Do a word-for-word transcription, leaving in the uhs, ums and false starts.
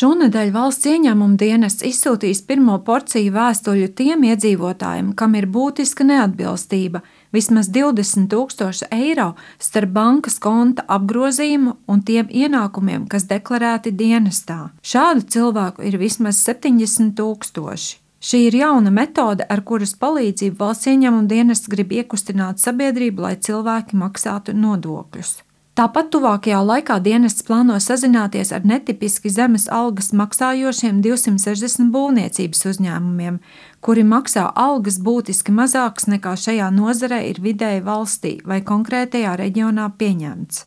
Šonedēļ Valsts ieņēmuma dienests izsūtīs pirmo porciju vēstuļu tiem iedzīvotājiem, kam ir būtiska neatbilstība vismaz divdesmit tūkstoši eiro starp bankas konta apgrozījumu un tiem ienākumiem, kas deklarēti dienestā. Šādu cilvēku ir vismaz septiņdesmit tūkstoši. Šī ir jauna metode, ar kuras palīdzību Valsts ieņēmuma dienests grib iekustināt sabiedrību, lai cilvēki maksātu nodokļus. Tāpat tuvākajā laikā dienests plāno sazināties ar netipiski zemes algas maksājošiem divsimt sešdesmit būvniecības uzņēmumiem, kuri maksā algas būtiski mazākas nekā šajā nozarē ir vidēji valstī vai konkrētajā reģionā pieņemts.